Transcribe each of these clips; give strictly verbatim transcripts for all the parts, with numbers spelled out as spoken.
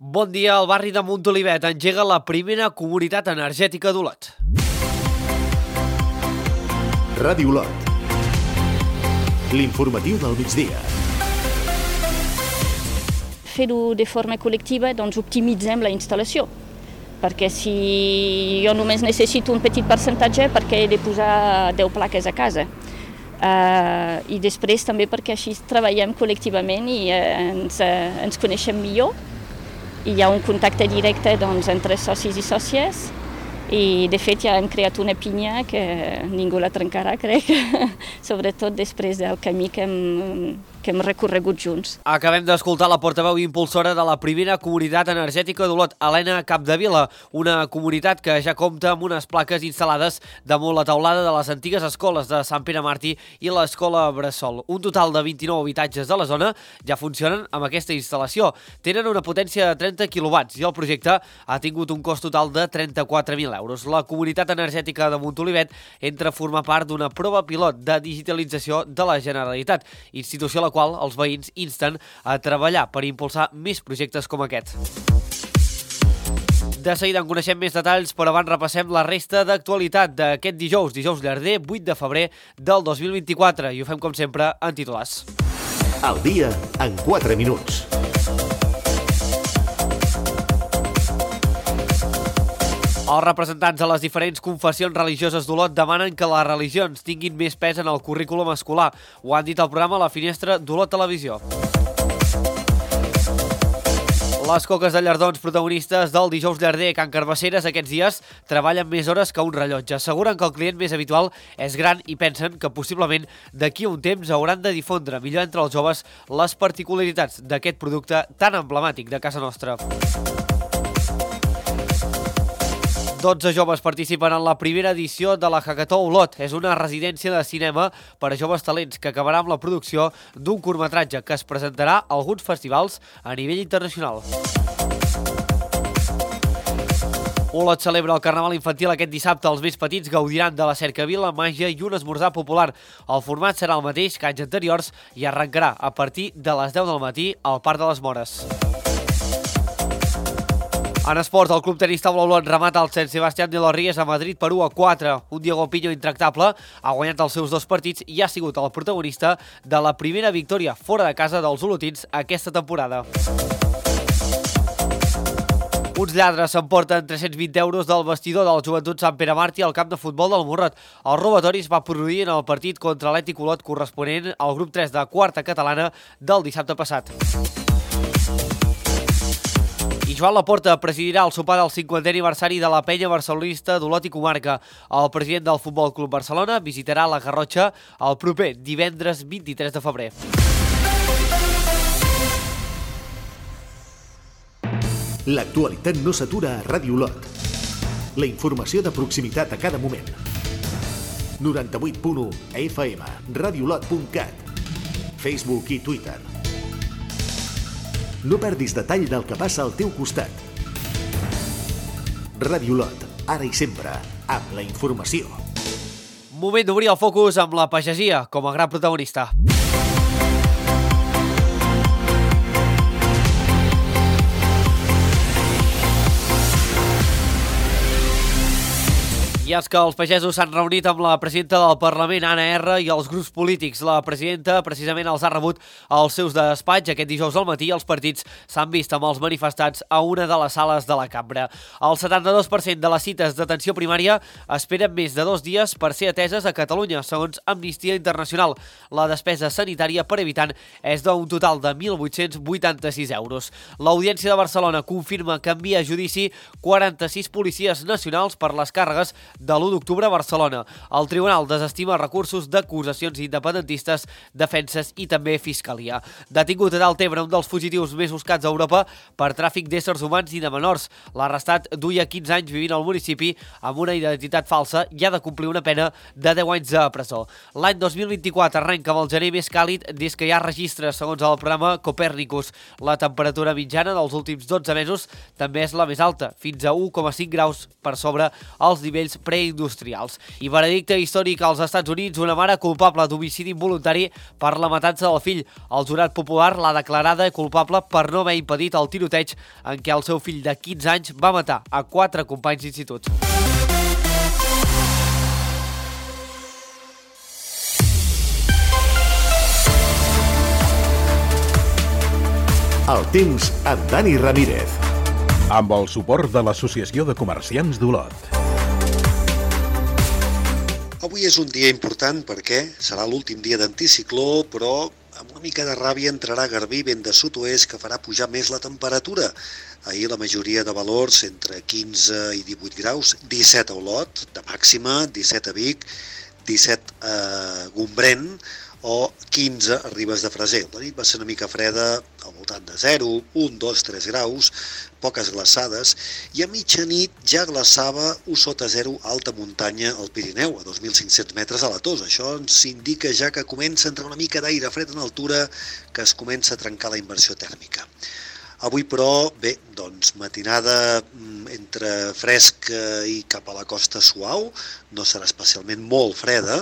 Bon dia, el barri de Montolivet engega la primera comunitat energètica d'Olot. Ràdio Olot. L'informatiu del migdia. Fer-ho de forma col·lectiva, doncs optimitzem la instal·lació. Perquè si jo només necessito un petit percentatge, perquè he de posar deu plaques a casa. Uh, I després també perquè així treballem col·lectivament i uh, ens, uh, ens coneixem millor. I hi ha un contacte directe doncs, entre socis i sòcies i de fet ja hem creat una pinya que ningú la trencarà, crec, sobretot després del camí que hem, que hem recorregut junts. Acabem d'escoltar la portaveu impulsora de la primera comunitat energètica d'Olot, Helena Capdevila, una comunitat que ja compta amb unes plaques instal·lades damunt la teulada de les antigues escoles de Sant Pere Màrtir i l'escola Bressol. Un total de vint-i-nou habitatges de la zona ja funcionen amb aquesta instal·lació. Tenen una potència de trenta quilowatts i el projecte ha tingut un cost total de trenta-quatre mil euros. La comunitat energètica de Montolivet entra a formar part d'una prova pilot de digitalització de la Generalitat, institució a la qual els veïns insten a treballar per impulsar més projectes com aquest. De seguida en coneixem més detalls, però abans repassem la resta d'actualitat d'aquest dijous, dijous llarder, vuit de febrer del dos mil vint-i-quatre, i ho fem com sempre en titulars. El dia en quatre minuts. Els representants de les diferents confessions religioses d'Olot demanen que les religions tinguin més pes en el currículum escolar. Ho han dit al programa La Finestra d'Olot Televisió. Les coques de llardons protagonistes del dijous llarder Can Carbasseres aquests dies treballen més hores que un rellotge. Asseguren que el client més habitual és gran i pensen que possiblement d'aquí a un temps hauran de difondre millor entre els joves les particularitats d'aquest producte tan emblemàtic de casa nostra. dotze joves participen en la primera edició de la Hackathó Olot. És una residència de cinema per a joves talents que acabarà amb la producció d'un curtmetratge que es presentarà a alguns festivals a nivell internacional. Olot celebra el Carnaval Infantil aquest dissabte. Els més petits gaudiran de la cercavila, màgia i un esmorzar popular. El format serà el mateix que anys anteriors i arrencarà a partir de les deu del matí al Parc de les Mores. En esport, el club tenista Olot remata el Sant Sebastián de los Ríos a Madrid per u a quatre. Un Diego Piño intractable ha guanyat els seus dos partits i ha sigut el protagonista de la primera victòria fora de casa dels olotins aquesta temporada. Uns lladres s'emporten tres-cents vint euros del vestidor del Joventut Sant Pere Màrtir al camp de futbol del Morrot. El robatori es va produir en el partit contra l'Atlètic Olot corresponent al grup tres de quarta catalana del dissabte passat. I Joan Laporta presidirà el sopar del cinquantè aniversari de la penya barcelonista d'Olot i comarca. El president del Futbol Club Barcelona visitarà la Garrotxa el proper divendres vint-i-tres de febrer. L'actualitat no s'atura a Ràdio Olot. La informació de proximitat a cada moment. noranta-vuit punt u F M, radiolot punt cat, Facebook i Twitter. No perdis detall del que passa al teu costat. Ràdio Olot, ara i sempre, amb la informació. Moment d'obrir el focus amb la pagesia com a gran protagonista. I és que els pagesos s'han reunit amb la presidenta del Parlament, Anna R, i els grups polítics. La presidenta precisament els ha rebut als seus despatx aquest dijous al matí i els partits s'han vist amb els manifestats a una de les sales de la cambra. El setanta-dos per cent de les cites d'atenció primària esperen més de dos dies per ser ateses a Catalunya, segons Amnistia Internacional. La despesa sanitària per habitant és d'un total de mil vuit-cents vuitanta-sis euros. L'Audiència de Barcelona confirma que envia a judici quaranta-sis policies nacionals per les càrregues de l'u d'octubre a Barcelona. El tribunal desestima recursos d'acusacions independentistes, defenses i també fiscalia. Detingut a Deltebre un dels fugitius més buscats a Europa per tràfic d'éssers humans i de menors. L'arrestat duia quinze anys vivint al municipi amb una identitat falsa i ha de complir una pena de deu anys de presó. L'any dos mil vint-i-quatre arrenca amb el gener més càlid des que hi ha registres, segons el programa Copèrnicus. La temperatura mitjana dels últims dotze mesos també és la més alta, fins a u coma cinc graus per sobre els nivells preindustrials. I veredicte històric als Estats Units, una mare culpable d'homicidi involuntari per la matança del fill. El jurat popular l'ha declarada culpable per no haver impedit el tiroteig en què el seu fill de quinze anys va matar a quatre companys d'institut. El temps amb Dani Ramírez. Amb el suport de l'Associació de Comerciants d'Olot. Avui és un dia important perquè serà l'últim dia d'anticicló, però amb una mica de ràbia entrarà Garbí, vent de sud-oest, que farà pujar més la temperatura. Ahir la majoria de valors entre quinze i divuit graus, disset a Olot, de màxima, disset a Vic, disset a Gombrèn, o quinze a Ribes de Freser. La nit va ser una mica freda, al voltant de zero, un, dos, tres graus, poques glaçades, i a mitjanit ja glaçava u sota zero alta muntanya al Pirineu, a dos mil cinc-cents metres a la Tosa. Això ens indica ja que comença a entrar una mica d'aire fred en altura, que es comença a trencar la inversió tèrmica. Avui, però, bé, doncs matinada entre fresc i cap a la costa suau, no serà especialment molt freda,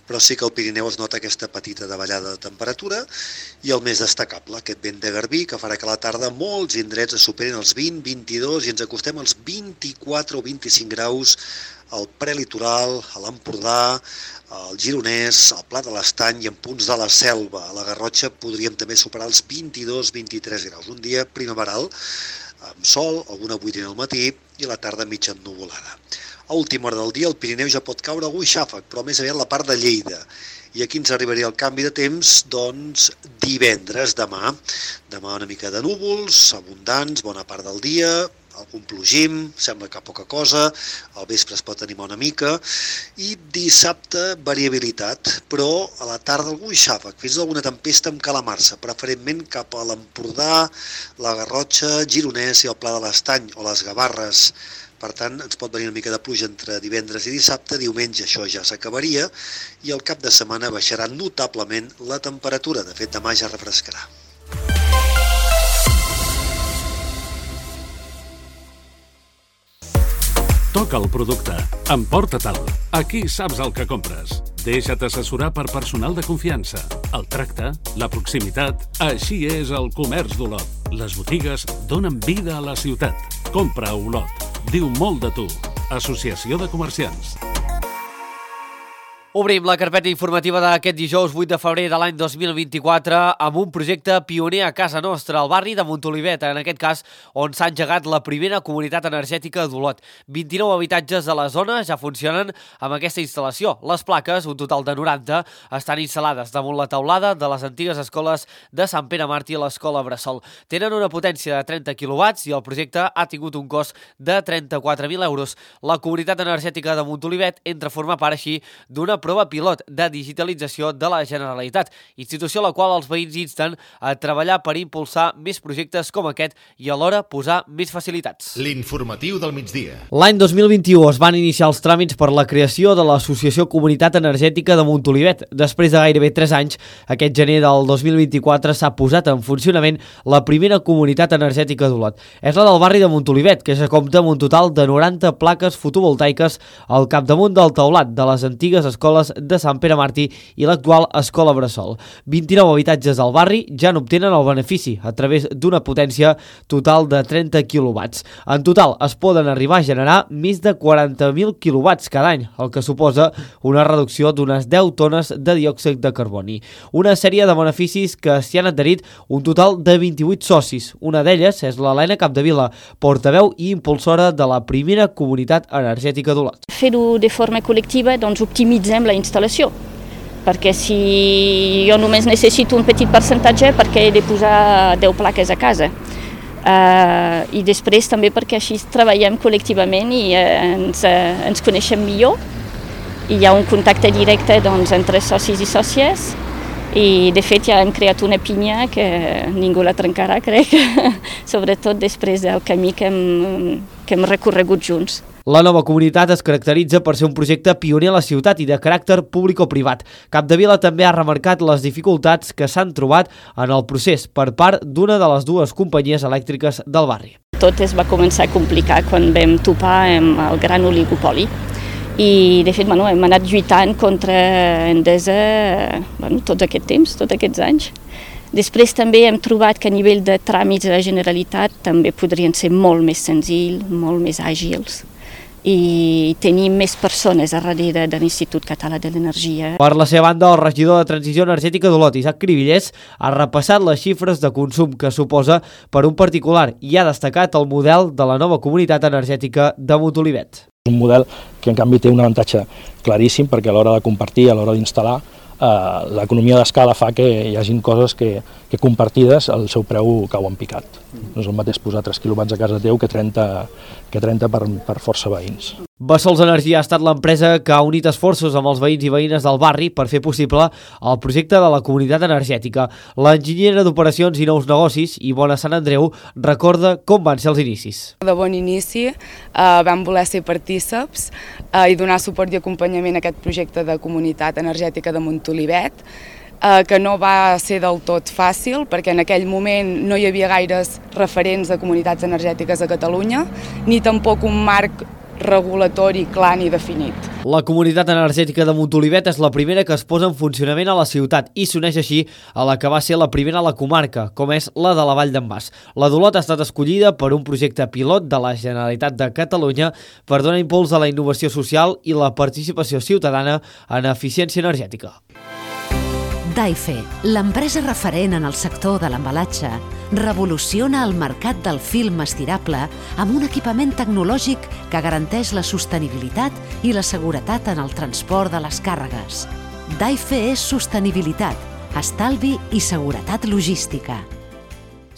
però sí que al Pirineu es nota aquesta petita davallada de temperatura i el més destacable, aquest vent de Garbí, que farà que a la tarda molts indrets es superin els vint, vint-i-dos i ens acostem als vint-i-quatre o vint-i-cinc graus al prelitoral, a l'Empordà, al Gironès, al Pla de l'Estany i en punts de la Selva. A la Garrotxa podríem també superar els vint-i-dos a vint-i-tres graus. Un dia primaveral, amb sol, alguna boirina al matí i la tarda mitja ennuvolada. A última hora del dia el Pirineu ja pot caure algun xàfec, però més aviat la part de Lleida. I aquí ens arribaria el canvi de temps, doncs, divendres, demà. Demà una mica de núvols, abundants, bona part del dia, algun plogim, sembla que poca cosa, al vespre es pot animar una mica, i dissabte variabilitat, però a la tarda algun xàfec, fins i tot alguna tempesta amb calamarsa, preferentment cap a l'Empordà, la Garrotxa, Gironès i el Pla de l'Estany o les Gavarres. Per tant, ens pot venir una mica de pluja entre divendres i dissabte, diumenge això ja s'acabaria, i el cap de setmana baixarà notablement la temperatura, de fet demà ja refrescarà. Toca el producte, emporta-te'l. Aquí saps el que compres. Deixa't assessorar per personal de confiança. El tracte, la proximitat, així és el comerç d'Olot. Les botigues donen vida a la ciutat. Compra a Olot. Diu molt de tu. Associació de Comerciants. Obrim la carpeta informativa d'aquest dijous vuit de febrer de l'any dos mil vint-i-quatre amb un projecte pioner a casa nostra, al barri de Montolivet, en aquest cas on s'ha engegat la primera comunitat energètica d'Olot. vint-i-nou habitatges de la zona ja funcionen amb aquesta instal·lació. Les plaques, un total de noranta, estan instal·lades damunt la teulada de les antigues escoles de Sant Pere Màrtir i l'Escola Bressol. Tenen una potència de trenta quilowatts i el projecte ha tingut un cost de trenta-quatre mil euros. La comunitat energètica de Montolivet entra a formar part així d'una prova pilot de digitalització de la Generalitat, institució a la qual els veïns insten a treballar per impulsar més projectes com aquest i alhora posar més facilitats. L'informatiu del migdia. L'any dos mil vint-i-u es van iniciar els tràmits per la creació de l'Associació Comunitat Energètica de Montolivet. Després de gairebé tres anys, aquest gener del dos mil vint-i-quatre s'ha posat en funcionament la primera comunitat energètica d'Olot. És la del barri de Montolivet, que ja compta amb un total de noranta plaques fotovoltaiques al capdamunt del teulat de les antigues escoles de Sant Pere Màrtir i l'actual Escola Bressol. vint-i-nou habitatges del barri ja n'obtenen el benefici a través d'una potència total de trenta quilowatts. En total es poden arribar a generar més de quaranta mil quilowatts cada any, el que suposa una reducció d'unes deu tones de diòxid de carboni. Una sèrie de beneficis que s'hi han adherit un total de vint-i-vuit socis. Una d'elles és l'Helena Capdevila, portaveu i impulsora de la primera comunitat energètica d'Olot. Fer-ho de forma col·lectiva, doncs optimitzem la instal·lació, perquè si jo només necessito un petit percentatge perquè he de posar deu plaques a casa. Uh, I després també perquè així treballem col·lectivament i uh, ens, uh, ens coneixem millor. I hi ha un contacte directe doncs, entre socis i sòcies i de fet ja hem creat una pinya que ningú la trencarà, crec, sobretot després del camí que hem, que hem recorregut junts. La nova comunitat es caracteritza per ser un projecte pioner a la ciutat i de caràcter públic o privat. Capdevila també ha remarcat les dificultats que s'han trobat en el procés per part d'una de les dues companyies elèctriques del barri. Tot es va començar a complicar quan vam topar amb el gran oligopoli I, de fet, bueno, hem anat lluitant contra Endesa bueno, tots aquest temps, tots aquests anys. Després també hem trobat que a nivell de tràmits de la Generalitat també podrien ser molt més senzills, molt més àgils i tenir més persones a darrere de l'Institut Català de l'Energia. Per la seva banda, el regidor de Transició Energètica d'Olot, Isaac Cribillers, ha repassat les xifres de consum que suposa per un particular i ha destacat el model de la nova comunitat energètica de Montolivet. Un model que en canvi té un avantatge claríssim perquè a l'hora de compartir, a l'hora d'instal·lar, eh, l'economia d'escala fa que hi hagin coses que, que compartides el seu preu cau en picat. No és el mateix posar tres quilowatts a casa teu que trenta, que trenta per, per força veïns. Bessols Energia ha estat l'empresa que ha unit esforços amb els veïns i veïnes del barri per fer possible el projecte de la comunitat energètica. L'enginyera d'operacions i nous negocis, Ivona Sant Andreu, recorda com van ser els inicis. De bon inici eh, vam voler ser partíceps eh, i donar suport i acompanyament a aquest projecte de comunitat energètica de Montolivet, eh, que no va ser del tot fàcil perquè en aquell moment no hi havia gaires referents de comunitats energètiques a Catalunya, ni tampoc un marc regulatori clar ni definit. La comunitat energètica de Montolivet és la primera que es posa en funcionament a la ciutat i s'uneix així a la que va ser la primera a la comarca, com és la de la Vall d'en Bas. La d'Olot ha estat escollida per un projecte pilot de la Generalitat de Catalunya per donar impuls a la innovació social i la participació ciutadana en eficiència energètica. Daife, l'empresa referent en el sector de l'embalatge, revoluciona el mercat del film estirable amb un equipament tecnològic que garanteix la sostenibilitat i la seguretat en el transport de les càrregues. Daife és sostenibilitat, estalvi i seguretat logística.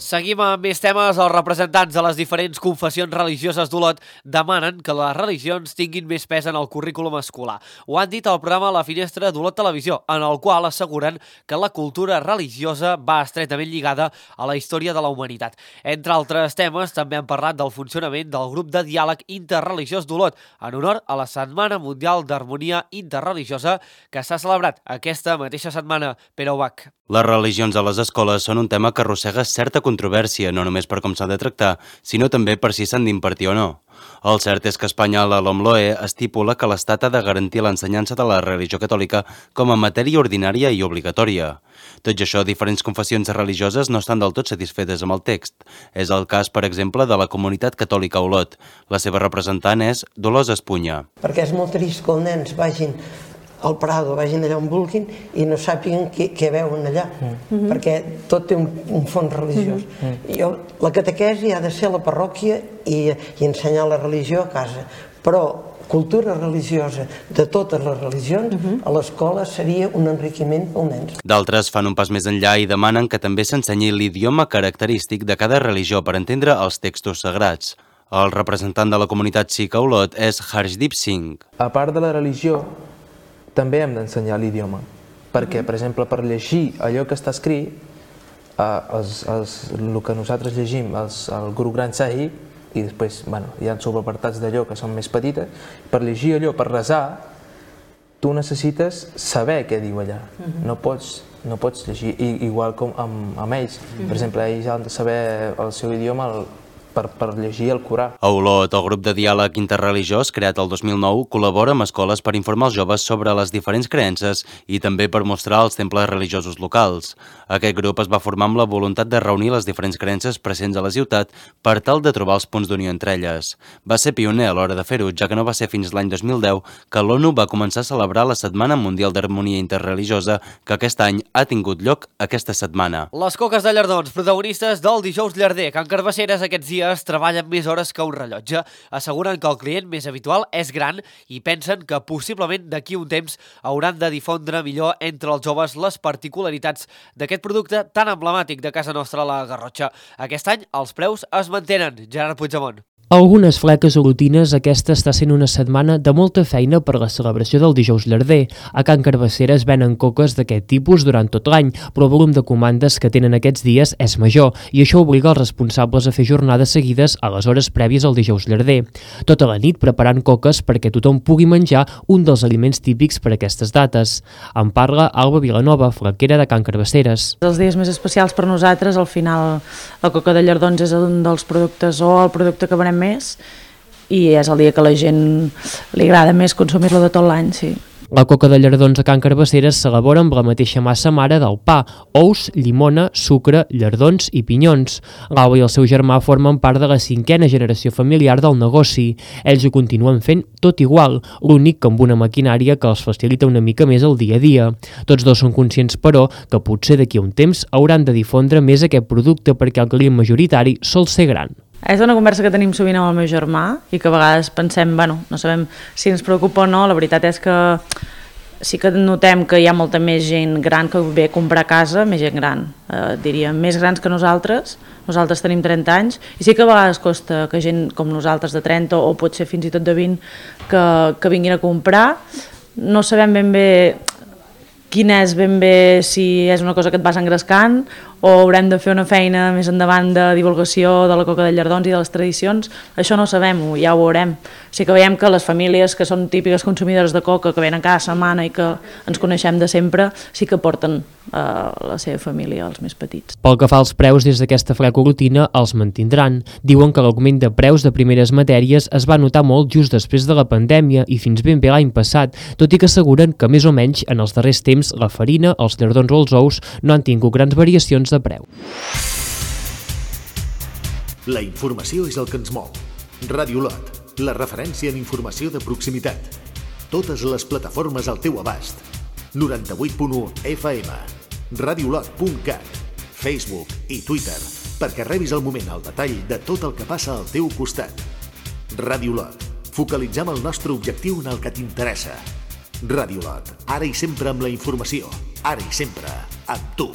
Seguim amb més temes. Els representants de les diferents confessions religioses d'Olot demanen que les religions tinguin més pes en el currículum escolar. Ho han dit al programa La Finestra d'Olot Televisió, en el qual asseguren que la cultura religiosa va estretament lligada a la història de la humanitat. Entre altres temes, també han parlat del funcionament del grup de diàleg interreligiós d'Olot, en honor a la Setmana Mundial d'Harmonia Interreligiosa que s'ha celebrat aquesta mateixa setmana. Pere Ubach. Les religions a les escoles són un tema que arrossega certa controvèrsia, no només per com s'ha de tractar, sinó també per si s'han d'impartir o no. El cert és que a Espanya la LOMLOE estipula que l'Estat ha de garantir l'ensenyança de la religió catòlica com a matèria ordinària i obligatòria. Tot i això, diferents confessions religioses no estan del tot satisfetes amb el text. És el cas, per exemple, de la comunitat catòlica a Olot. La seva representant és Dolors Espunya. Perquè és molt trist que els nens vagin al Prado, vagin allà on vulguin i no sàpiguen què, què veuen allà, mm-hmm. perquè tot té un, un fons religiós. Mm-hmm. Jo, la catequesi ha de ser a la parròquia i, i ensenyar la religió a casa, però cultura religiosa de totes les religions mm-hmm. a l'escola seria un enriquiment pels nens. D'altres fan un pas més enllà i demanen que també s'ensenyi l'idioma característic de cada religió per entendre els textos sagrats. El representant de la comunitat sikh a Olot és Harshdeep Singh. A part de la religió, també hem d'ensenyar l'idioma, perquè, per exemple, per llegir allò que està escrit, eh, els, els, el que nosaltres llegim, els, el Guru Granth Sahib, i després bueno, hi ha subapartats d'allò que són més petites, per llegir allò, per resar, tu necessites saber què diu allà, no pots, no pots llegir, I, igual com amb, amb ells, per exemple, ells han de saber el seu idioma, el, Per, per llegir el Corà. A Olot, el grup de diàleg interreligiós, creat el dos mil nou, col·labora amb escoles per informar els joves sobre les diferents creences i també per mostrar els temples religiosos locals. Aquest grup es va formar amb la voluntat de reunir les diferents creences presents a la ciutat per tal de trobar els punts d'unió entre elles. Va ser pioner a l'hora de fer-ho, ja que no va ser fins l'any dos mil deu que l'ONU va començar a celebrar la Setmana Mundial d'Harmonia Interreligiosa, que aquest any ha tingut lloc aquesta setmana. Les coques de Llardons, protagonistes del dijous llarder, Can Carbasseres aquests dies treballen més hores que un rellotge. Asseguren que el client més habitual és gran i pensen que possiblement d'aquí un temps hauran de difondre millor entre els joves les particularitats d'aquest producte tan emblemàtic de casa nostra, la Garrotxa. Aquest any els preus es mantenen. Gerard Puigdemont. Algunes fleques olotines, aquesta està sent una setmana de molta feina per la celebració del dijous llarder. A Can Carbasseres venen coques d'aquest tipus durant tot l'any, però el volum de comandes que tenen aquests dies és major i això obliga els responsables a fer jornades seguides a les hores prèvies al dijous llarder. Tota la nit preparant coques perquè tothom pugui menjar un dels aliments típics per a aquestes dates. En parla Alba Vilanova, flequera de Can Carbasseres. Els dies més especials per nosaltres, al final la coca de Llardons és un dels productes o el producte que venem més i és el dia que a la gent li agrada més consumir-lo de tot l'any, sí. La coca de llardons a Can Carbasseres s'elabora amb la mateixa massa mare del pa, ous, llimona, sucre, llardons i pinyons. L'Alba i el seu germà formen part de la cinquena generació familiar del negoci. Ells ho continuen fent tot igual, l'únic que amb una maquinària que els facilita una mica més el dia a dia. Tots dos són conscients, però, que potser d'aquí a un temps hauran de difondre més aquest producte perquè el client majoritari sol ser gran. És una conversa que tenim sovint amb el meu germà i que a vegades pensem, bueno, no sabem si ens preocupa o no, la veritat és que sí que notem que hi ha molta més gent gran que ve a comprar a casa, més gent gran, eh, diríem, més grans que nosaltres, nosaltres tenim trenta anys, i sí que a vegades costa que gent com nosaltres de trenta o potser fins i tot de vint que, que vinguin a comprar, no sabem ben bé quin és ben bé, si és una cosa que et vas engrescant o haurem de fer una feina més endavant de divulgació de la coca de llardons i de les tradicions, això no ho sabem, ja ho veurem. Sí que veiem que les famílies que són típiques consumidores de coca, que venen cada setmana i que ens coneixem de sempre, sí que porten eh, la seva família, els més petits. Pel que fa als preus, des d'aquesta frecorotina els mantindran. Diuen que l'augment de preus de primeres matèries es va notar molt just després de la pandèmia i fins ben bé l'any passat, tot i que asseguren que més o menys en els darrers temps la farina, els llardons o els ous no han tingut grans variacions de preu. La informació és el que ens mou. Ràdio Lot, la referència en informació de proximitat. Totes les plataformes al teu abast. noranta-vuit punt u F M, radiolot punt cat, Facebook i Twitter, perquè rebis al moment el detall de tot el que passa al teu costat. Ràdio Lot, focalitzem el nostre objectiu en el que t'interessa. Ràdio Lot, ara i sempre amb la informació, ara i sempre amb tu.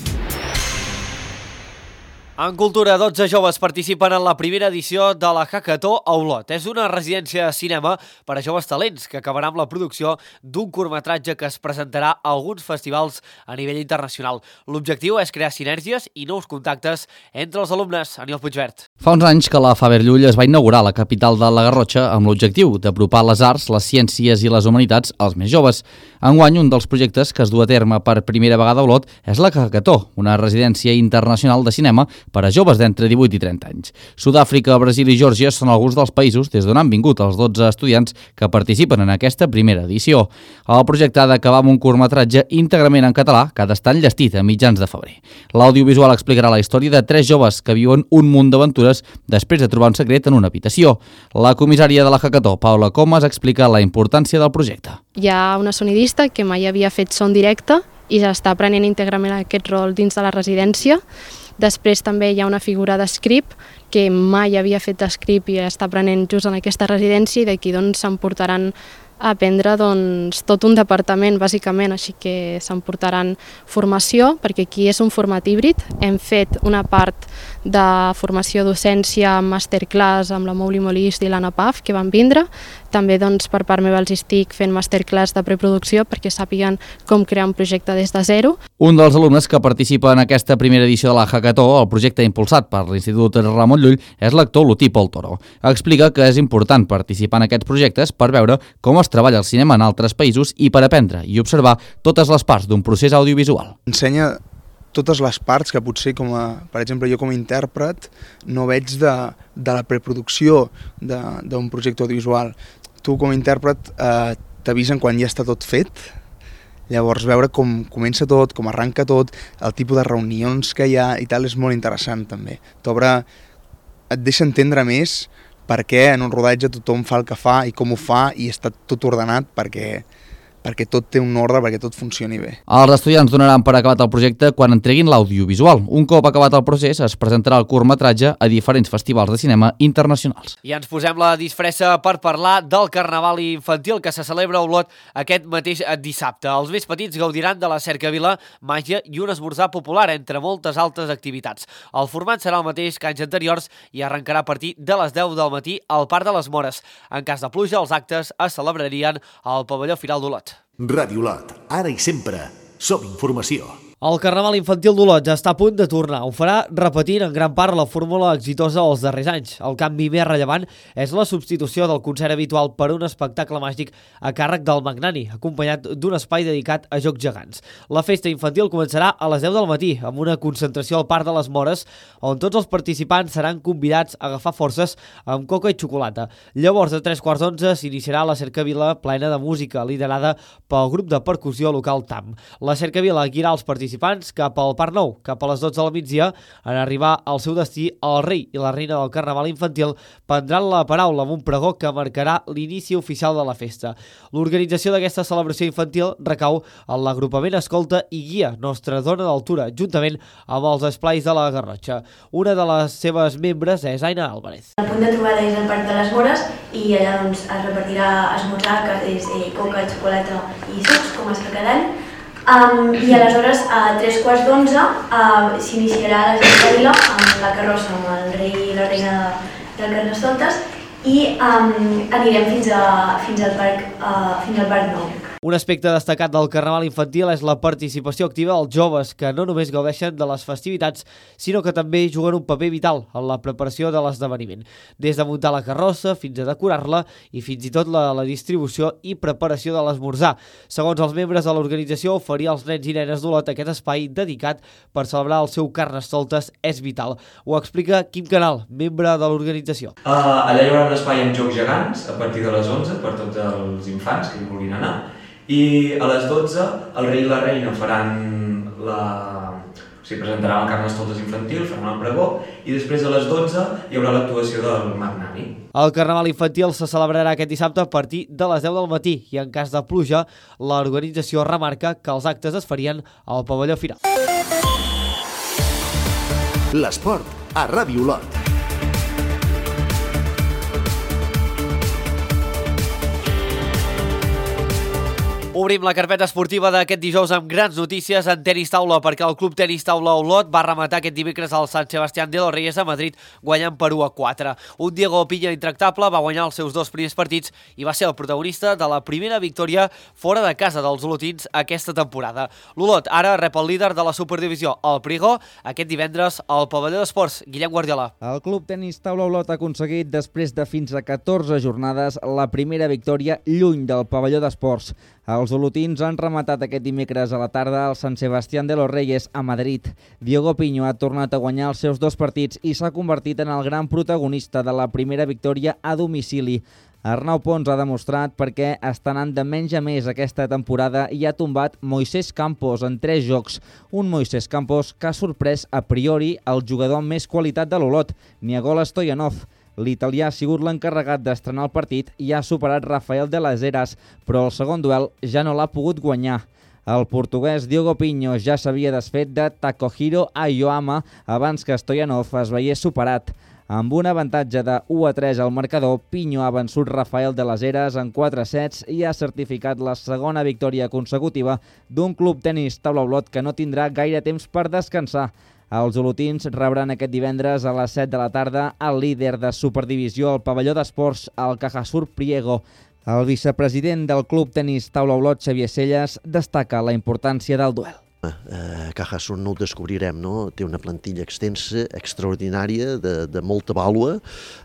En cultura, dotze joves participen en la primera edició de la Hackathó a Olot. És una residència de cinema per a joves talents que acabarà amb la producció d'un curtmetratge que es presentarà a alguns festivals a nivell internacional. L'objectiu és crear sinergies i nous contactes entre els alumnes. Aniol Puigvert. Fa uns anys que la Faber Llull es va inaugurar a la capital de la Garrotxa amb l'objectiu d'apropar les arts, les ciències i les humanitats als més joves. Enguany, un dels projectes que es du a terme per primera vegada a Olot és la Hackathó, una residència internacional de cinema per a joves d'entre divuit i trenta anys. Sud-àfrica, Brasil i Geòrgia són alguns dels països des d'on han vingut els dotze estudiants que participen en aquesta primera edició. El projecte ha d'acabar amb un curtmetratge íntegrament en català que ha d'estar enllestit a mitjans de febrer. L'audiovisual explicarà la història de tres joves que viuen un munt d'aventures després de trobar un secret en una habitació. La comissària de la Hackathó, Paula Comas, explica la importància del projecte. Hi ha una sonidista que mai havia fet son directe i ja està aprenent íntegrament aquest rol dins de la residència. Després també hi ha una figura d'script que mai havia fet script i està aprenent just en aquesta residència i d'aquí doncs s'emportaran a aprendre doncs, tot un departament, bàsicament, així que s'emportaran formació, perquè aquí és un format híbrid. Hem fet una part de formació docència amb masterclass amb la Mouli Molist i l'Anna Paf, que van vindre. També doncs, per part meva els estic fent masterclass de preproducció perquè sàpiguen com crear un projecte des de zero. Un dels alumnes que participa en aquesta primera edició de la Hackathó, el projecte impulsat per l'Institut Ramon Llull, és l'actor Lotí Pol Toro. Explica que és important participar en aquests projectes per veure com es treballa el cinema en altres països i per aprendre i observar totes les parts d'un procés audiovisual. Ensenya totes les parts que potser, com a, per exemple, jo com a intèrpret no veig de, de la preproducció d'un projecte audiovisual. Tu com a intèrpret eh, t'avisen quan ja està tot fet, llavors veure com comença tot, com arranca tot, el tipus de reunions que hi ha i tal és molt interessant també. T'obre, et deixa entendre més per què en un rodatge tothom fa el que fa i com ho fa i està tot ordenat perquè, perquè tot té un ordre, perquè tot funcioni bé. Els estudiants donaran per acabat el projecte quan entreguin l'audiovisual. Un cop acabat el procés, es presentarà el curtmetratge a diferents festivals de cinema internacionals. I ens posem la disfressa per parlar del Carnaval infantil que se celebra a Olot aquest mateix dissabte. Els més petits gaudiran de la cercavila, màgia i un esmorzar popular, entre moltes altres activitats. El format serà el mateix que anys anteriors i arrencarà a partir de les deu del matí al Parc de les Mores. En cas de pluja, els actes es celebrarien al pavelló Firal d'Olot. Ràdio Lot, ara i sempre, som informació. El Carnaval Infantil d'Olot està a punt de tornar. Ho farà repetint en gran part la fórmula exitosa dels darrers anys. El canvi més rellevant és la substitució del concert habitual per un espectacle màgic a càrrec del Magnani, acompanyat d'un espai dedicat a jocs gegants. La festa infantil començarà a les deu del matí, amb una concentració al Parc de les Mores, on tots els participants seran convidats a agafar forces amb coca i xocolata. Llavors, a tres quarts d'onze, s'iniciarà la cercavila plena de música, liderada pel grup de percussió local T A M. La cercavila guiarà els participants cap al Parc Nou, cap a les dotze del migdia. En arribar al seu destí, el rei i la reina del Carnaval Infantil prendran la paraula amb un pregó que marcarà l'inici oficial de la festa. L'organització d'aquesta celebració infantil recau en l'agrupament Escolta i Guia Nostra Dona d'Altura, juntament amb els esplais de la Garrotxa. Una de les seves membres és Aina Álvarez. El punt de trobada és el Parc de les Mores i allà doncs, es repartirà esmorzar, que és eh, coca, xocolata i sucs, com es fa cada any. Um, I aleshores, a tres quarts d'onze, uh, s'iniciarà la cercavila amb la carrossa, amb el rei i la reina de, del Carnestoltes, i um, anirem fins, a, fins, al parc, uh, fins al Parc Nou. Un aspecte destacat del Carnaval Infantil és la participació activa dels joves, que no només gaudeixen de les festivitats, sinó que també juguen un paper vital en la preparació de l'esdeveniment. Des de muntar la carrossa fins a decorar-la i fins i tot la, la distribució i preparació de l'esmorzar. Segons els membres de l'organització, oferir als nens i nenes d'Olot aquest espai dedicat per celebrar el seu Carnestoltes és vital. Ho explica Quim Canal, membre de l'organització. Uh, allà hi haurà un espai amb jocs gegants a partir de les onze per tots els infants que hi vulguin anar. I a les dotze el rei i la reina faran la... o sigui, presentaran el Carnestoltes infantil, faran el pregó, i després a les dotze hi haurà l'actuació del Magnani. El Carnaval Infantil se celebrarà aquest dissabte a partir de les deu del matí i en cas de pluja, l'organització remarca que els actes es farien al pavelló Firal. L'esport a Ràdio Olot. Obrim la carpeta esportiva d'aquest dijous amb grans notícies en tenis taula, perquè el Club Tenis Taula Olot va rematar aquest dimecres al San Sebastián de los Reyes a Madrid, guanyant per u a quatre. Un Diego Piña intractable va guanyar els seus dos primers partits i va ser el protagonista de la primera victòria fora de casa dels olotins aquesta temporada. L'Olot ara rep el líder de la Superdivisió, el Priego, aquest divendres al pavelló d'esports. Guillem Guardiola. El Club Tenis Taula Olot ha aconseguit, després de fins a catorze jornades, la primera victòria lluny del pavelló d'esports. Els olotins han rematat aquest dimecres a la tarda al San Sebastián de los Reyes a Madrid. Diego Piño ha tornat a guanyar els seus dos partits i s'ha convertit en el gran protagonista de la primera victòria a domicili. Arnau Pons ha demostrat per què està anant de menys a més aquesta temporada i ha tombat Moisés Campos en tres jocs. Un Moisés Campos que ha sorprès a priori el jugador amb més qualitat de l'Olot, Nicola Stoyanov. L'italià ha sigut l'encarregat d'estrenar el partit i ha superat Rafael de las Heras, però el segon duel ja no l'ha pogut guanyar. El portuguès Diogo Piño ja s'havia desfet de Takohiro Ayoama abans que Stoyanov es veiés superat. Amb un avantatge de u a tres al marcador, Piño ha vençut Rafael de las Heras en quatre sets i ha certificat la segona victòria consecutiva d'un Club Tenis Taula Olot que no tindrà gaire temps per descansar. Els olotins rebran aquest divendres a les set de la tarda el líder de Superdivisió al pavelló d'esports, el Cajasur Priego. El vicepresident del Club Tenis Taula Olot, Xavier Selles, destaca la importància del duel. Eh, Cajasur no ho descobrirem, no? Té una plantilla extensa, extraordinària, de, de molta vàlua,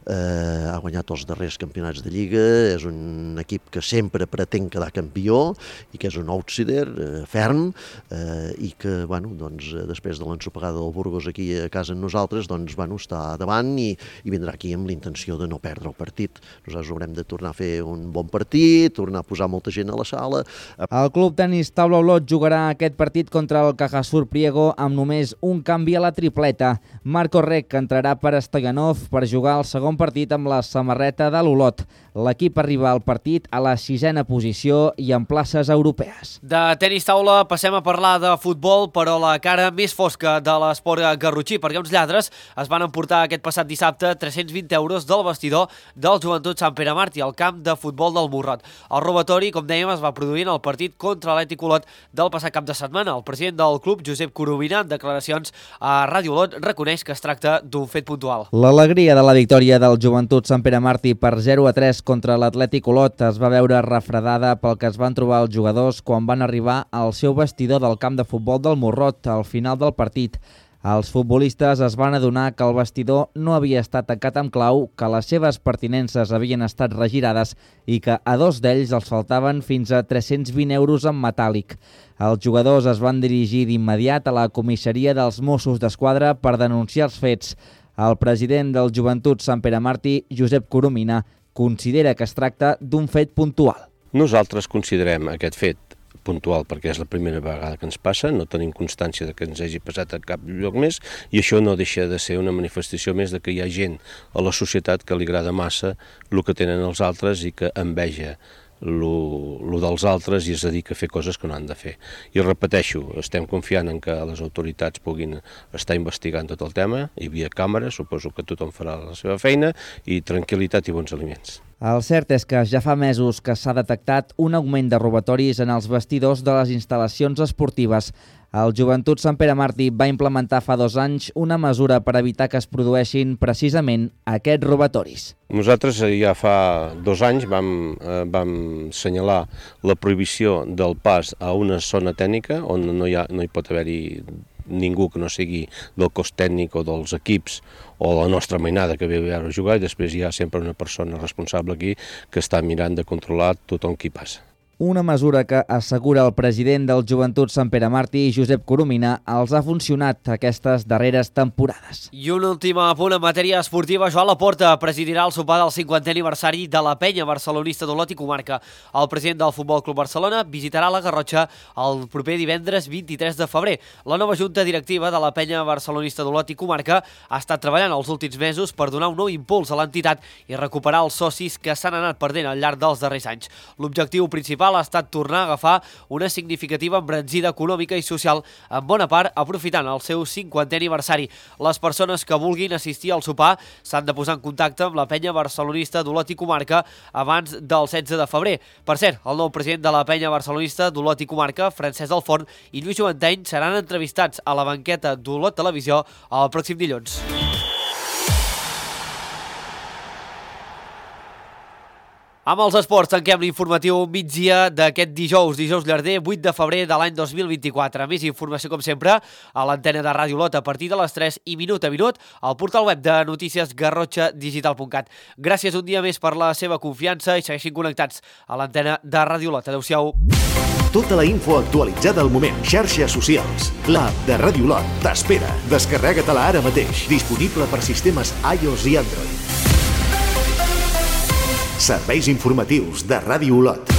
eh, ha guanyat els darrers campionats de Lliga, és un equip que sempre pretén quedar campió i que és un outsider eh, ferm eh, i que, bueno, doncs, després de l'ensopegada del Burgos aquí a casa amb nosaltres, doncs, bueno, està davant i, i vindrà aquí amb l'intenció de no perdre el partit. Nosaltres haurem de tornar a fer un bon partit, tornar a posar molta gent a la sala. El Club Tenis Taula Olot jugarà aquest partit contra el Cajasur Priego amb només un canvi a la tripleta. Marco Rec entrarà per Stoyanov per jugar el segon partit amb la samarreta de l'Olot. L'equip arriba al partit a la sisena posició i en places europees. De tenis taula passem a parlar de futbol, però la cara més fosca de l'esport garrotxí, perquè uns lladres es van emportar aquest passat dissabte tres-cents vint euros del vestidor del Joventut Sant Pere Martí al camp de futbol del Morrot. El robatori, com dèiem, es va produir en el partit contra l'Atlètic Olot del passat cap de setmana. El president president del club, Josep Coromina, en declaracions a Ràdio Olot, reconeix que es tracta d'un fet puntual. L'alegria de la victòria del Joventut Sant Pere Martí per zero a tres contra l'Atlètic Olot es va veure refredada pel que es van trobar els jugadors quan van arribar al seu vestidor del camp de futbol del Morrot al final del partit. Els futbolistes es van adonar que el vestidor no havia estat tancat amb clau, que les seves pertinences havien estat regirades i que a dos d'ells els faltaven fins a tres-cents vint euros en metàl·lic. Els jugadors es van dirigir d'immediat a la comissaria dels Mossos d'Esquadra per denunciar els fets. El president del Joventut Sant Pere Martí, Josep Coromina, considera que es tracta d'un fet puntual. Nosaltres considerem aquest fet puntual perquè és la primera vegada que ens passa, no tenim constància de que ens hagi passat a cap lloc més i això no deixa de ser una manifestació més de que hi ha gent a la societat que li agrada massa el que tenen els altres i que enveja el dels altres i es dedica a fer coses que no han de fer. I repeteixo, estem confiant en que les autoritats puguin estar investigant tot el tema, hi havia càmeres, suposo que tothom farà la seva feina i tranquil·litat i bons aliments. El cert és que ja fa mesos que s'ha detectat un augment de robatoris en els vestidors de les instal·lacions esportives. El Joventut Sant Pere Martí va implementar fa dos anys una mesura per evitar que es produeixin precisament aquests robatoris. Nosaltres ja fa dos anys vam, eh, vam assenyalar la prohibició del pas a una zona tècnica on no hi, ha, no hi pot haver-hi ningú que no sigui del cos tècnic o dels equips o la nostra mainada que ve a veure jugar i després hi ha sempre una persona responsable aquí que està mirant de controlar tothom qui passa. Una mesura que, assegura el president del Joventut Sant Pere Martí, Josep Coromina, els ha funcionat aquestes darreres temporades. I un últim apunt en matèria esportiva. Joan Laporta presidirà el sopar del cinquantè aniversari de la penya barcelonista d'Olot i Comarca. El president del Futbol Club Barcelona visitarà la Garrotxa el proper divendres vint-i-tres de febrer. La nova junta directiva de la penya barcelonista d'Olot i Comarca ha estat treballant els últims mesos per donar un nou impuls a l'entitat i recuperar els socis que s'han anat perdent al llarg dels darrers anys. L'objectiu principal ha estat tornar a agafar una significativa embranzida econòmica i social, en bona part aprofitant el seu cinquantè aniversari. Les persones que vulguin assistir al sopar s'han de posar en contacte amb la penya barcelonista d'Olot i Comarca abans del setze de febrer. Per cert, el nou president de la penya barcelonista d'Olot i Comarca, Francesc Delforn, i Lluís Joventeny seran entrevistats a la banqueta d'Olot Televisió el pròxim dilluns. Amb els esports tanquem l'informatiu migdia d'aquest dijous, dijous llarder, vuit de febrer de l'any dos mil vint-i-quatre. Més informació, com sempre, a l'antena de Ràdio Olot a partir de les tres i minut a minut al portal web de notícies garrotxa digital punt cat. Gràcies un dia més per la seva confiança i segueixin connectats a l'antena de Ràdio Olot. Adéu-siau. Tota la info actualitzada al moment. Xarxes socials. L'app de Ràdio Olot t'espera. Descarrega-te-la ara mateix. Disponible per sistemes iOS i Android. Serveis informatius de Ràdio Olot.